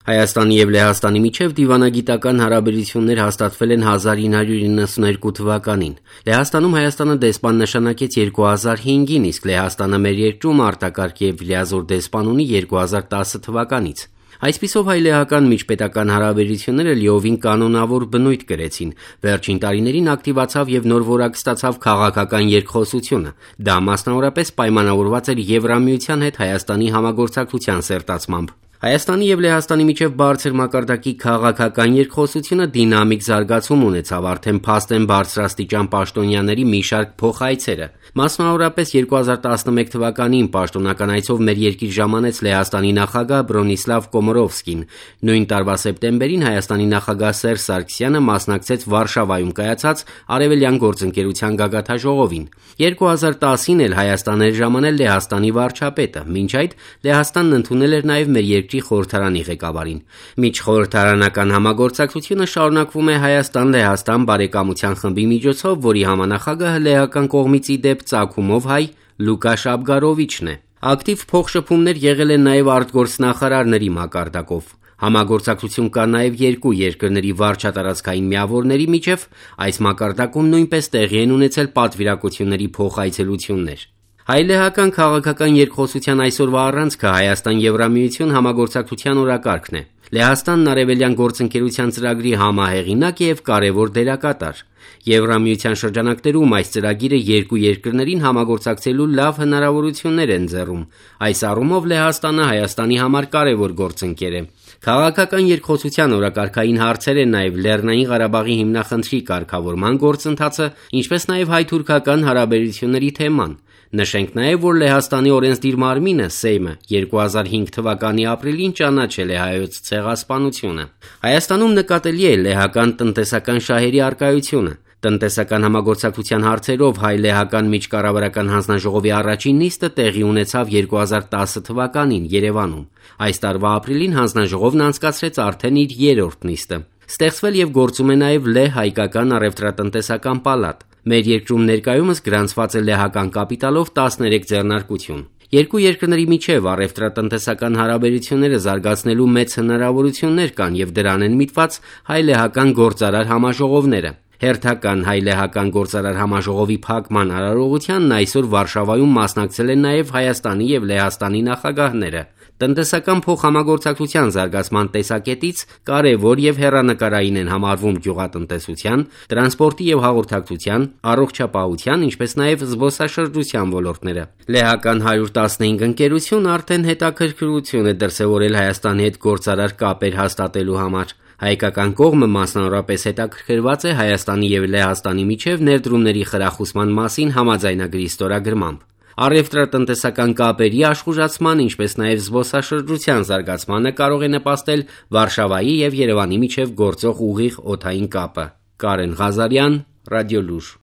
Հայաստանի եւ Լեհաստանի միջև դիվանագիտական հարաբերություններ հաստատվել են 1992 թվականին։ Լեհաստանում Հայաստանը դեսպան նշանակեց 2005-ին, իսկ Լեհաստանը մեր երկրում արտակարգ եւ լիազոր դեսպան ունի 2010 թվականից։ Այսպիսով հայ-լեհական միջպետական հարաբերությունները լիովին կանոնավոր բնույթ կրեցին։ Վերջին տարիներին ակտիվացավ եւ նոր որակ ստացավ քաղաքական երկխոսությունը։ Դա մասնավորապես պայմանավորված էր Եվրամիության հետ Հայաստանի համագործակցության սերտացմամբ։ Հայաստանի եւ Լեհաստանի միջև բարձր մակարդակի քաղաքական երկխոսությունը դինամիկ զարգացում ունեցավ արդեն փաստեն բարձրաստիճան պաշտոնյաների մի շարք փոխայցերը։ Մասնավորապես 2011 թվականին պաշտոնական այցով մեր երկիր ժամանեց Լեհաստանի նախագահ Բրոնիսլավ Կոմորովսկին։ Նույն տարվա սեպտեմբերին Հայաստանի նախագահ Սերժ Սարգսյանը մասնակցեց Վարշավայում կայացած Արևելյան գործընկերության գագաթաժողովին։ 2010-ին էլ Հայաստան էր ժամանել Լեհաստանի վարչապետը։ Մինչ այդ Լեհաստանն ընդունել էր նաեւ մեր երկրի խորհրդարանի ղեկավարին։ Միջխորհրդարանական համագործակցությունը շարունակվում է Հայաստան-Լեհաստան բարեկամության խմբի միջոցով, որի համանախագահը լեհական կողմից ի դեպ ծագումով հայ Լուկա Շաբգարովիչն է։ Ակտիվ փոխշփումներ եղել են նաեւ արտգործնախարարների մակարդակով։ Համագործակցություն կա նաեւ երկու երկրների վարչատարածքային միավորների միջև, այս մակարդակում նույնպես տեղի են ունեցել պատվիրակությունների փոխայցելություններ։ Հայ-լեհական քաղաքական երկխոսության այսօրվա առանցքը Հայաստան-Եվրամիություն համագործակցության օրակարգն է։ Լեհաստանն Արևելյան գործընկերության ծրագրի համահեղինակ եւ կարևոր դերակատար։ Եվրամիության շրջանակներում այս ծրագիրը երկու երկրներին համագործակցելու լավ հնարավորություններ են ձեռում։ Այս առումով Լեհաստանը Հայաստանի համար կարևոր գործընկեր է։ Քաղաքական երկխոսության օրակարգային հարցեր են նաև Լեռնային Ղարաբաղի հիմնախնդրի կարգավորման գործընթացը, ինչպես նաև հայ-թուրքական հարաբերությունների թեման։ Նշենք նաև, որ Լեհաստանի օրենսդիր մարմինը Սեյմը 2005 թվականի ապրիլին ճանաչել է հայոց ցեղասպանությունը։ Հայաստանում նկատելի է լեհական տնտեսական շահերի առկայությունը։ Տնտեսական համագործակցության հարցերով հայ-լեհական միջկառավարական հանձնաժողովի առաջին նիստը տեղի ունեցավ 2010 թվականին Երևանում։ Այս տարվա ապրիլին հանձնաժողովն անցկացրեց արդեն իր երրորդ նիստը։ Ստեղծվել եւ գործում է նաեւ Լեհ-հայկական առևտրատնտեսական պալատ։ Մեր երկրում ներկայումս գրանցված է լեհական կապիտալով 13 ձեռնարկություն։ Երկու երկրների միջև առևտրատնտեսական հարաբերությունները զարգացնելու մեծ հնարավորություններ կան եւ դրան են միտված հայ-լեհական գործարար համաժողովները։ Հերթական հայ-լեհական գործարար համաժողովի փակման արարողությանն այսօր Վարշավայում մասնակցել են նաև Հայաստանի եւ Լեհաստանի նախագահները։ Տնտեսական փոխհամագործակցության զարգացման տեսակետից կարևոր եւ հեռանկարային են համարվում գյուղատնտեսության, տրանսպորտի եւ հաղորդակցության, առողջապահության, ինչպես նաեւ զբոսաշրջության ոլորտները։ Լեհական 115 ընկերություն արդեն հետաքրքրություն է դրսեւորել Հայաստանի հետ գործարար կապեր հաստատելու համար։ Հայկական կողմը մասնավորապես հետաքրքրված է Հայաստանի եւ Լեհաստանի միջև ներդրումների խրախուսման մասին համաձայնագրի ստորագրմամբ։ Առևտրատնտեսական կապերի աշխուժացման, ինչպես նաև զբոսաշրջության զարգացմանը կարող է նպաստել Վարշավայի եւ Երևանի միջև գործող ուղիղ օդային կապը։ Կարեն Ղազարյան, Ռադիոլուր։